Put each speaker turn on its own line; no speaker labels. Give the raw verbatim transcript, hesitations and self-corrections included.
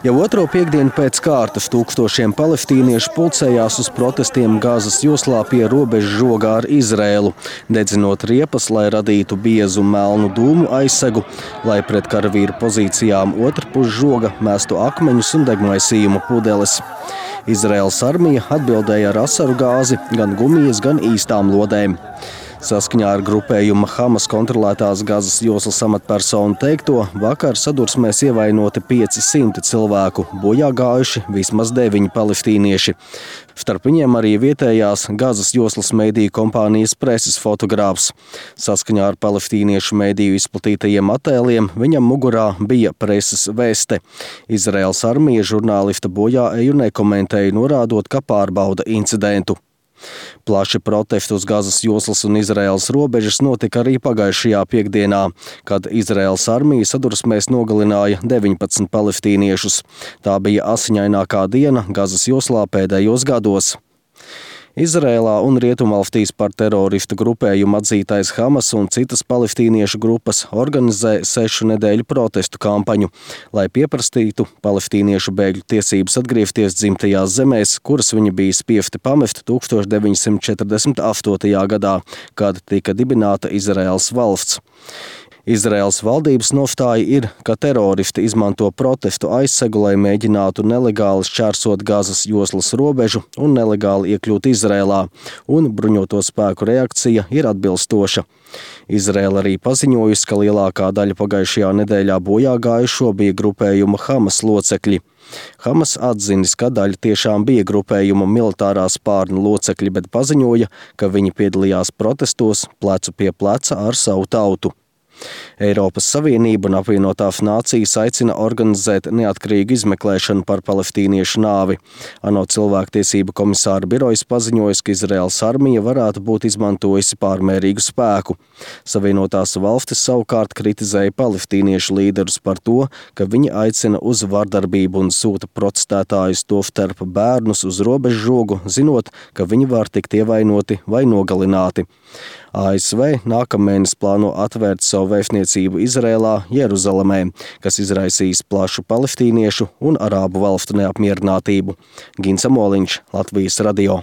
Jau otro piekdienu pēc kārtas tūkstošiem palestīniešu pulcējās uz protestiem Gazas joslā pie robežas žogā ar Izraēlu, dedzinot riepas, lai radītu biezu melnu dūmu aizsegu, lai pret karavīru pozīcijām otrpus žoga mestu akmeņus un degmaisījumu pudeles. Izraēlas armija atbildēja ar asaru gāzi, gan gumijas, gan īstām lodēm. Saskaņā ar grupējuma Hamas kontrolētās Gazas joslas amatpersonu teikto, vakar sadursmēs ievainoti pieci simti cilvēku, bojā gājuši vismaz deviņi palestīnieši. Starp viņiem arī vietējās Gazas joslas mediju kompānijas preses fotogrāfs. Saskaņā ar palestīniešu mediju izplatītajiem attēliem, viņam mugurā bija preses veste. Izraēlas armija žurnālista bojā eju nekomentēja, norādot, ka pārbauda incidentu. Plaši protesti uz Gazas joslas un Izraēlas robežas notika arī pagājušajā piekdienā, kad Izraēlas armija sadursmēs nogalināja deviņpadsmit palestīniešus. Tā bija asiņainākā diena Gazas joslā pēdējos gados. Izraēlā un Rietumvalstīs par teroristu grupējumu atzītais Hamas un citas palestīniešu grupas organizē sešu nedēļu protestu kampaņu, lai pieprasītu palestīniešu bēgļu tiesības atgriezties dzimtajās zemēs, kuras viņi bija spiesti pamest tūkstoš deviņi simti četrdesmit astotajā gadā, kad tika dibināta Izraēlas valsts. Izraēlas valdības nostāja ir, ka teroristi izmanto protestu aizsegu, lai mēģinātu nelegāli šķērsot Gazas joslas robežu un nelegāli iekļūt Izraēlā, un bruņoto spēku reakcija ir atbilstoša. Izraēla arī paziņojusi, ka lielākā daļa pagājušajā nedēļā bojā gājušo bija grupējuma Hamas locekļi. Hamas atzinis, ka daļa tiešām bija grupējuma militārā spārna locekļi, bet paziņoja, ka viņi piedalījās protestos plecu pie pleca ar savu tautu. Eiropas Savienība un apvienotās nācijas aicina organizēt neatkarīgu izmeklēšanu par palestīniešu nāvi. ANO cilvēktiesību komisāra birojas paziņojas, ka Izraēlas armija varētu būt izmantojusi pārmērīgu spēku. Savienotās valstis savukārt kritizēja palestīniešu līderus par to, ka viņi aicina uz vardarbību un sūta protestētājus, tostarp bērnus, uz robežu žogu, zinot, ka viņi var tikt ievainoti vai nogalināti. A S V nākamēnes plāno atvērt savu vēstniecību Izrēlā, Jeruzalemē, kas izraisīs plašu palestīniešu un arābu valstu neapmierinātību. Gins Amoliņš, Latvijas radio.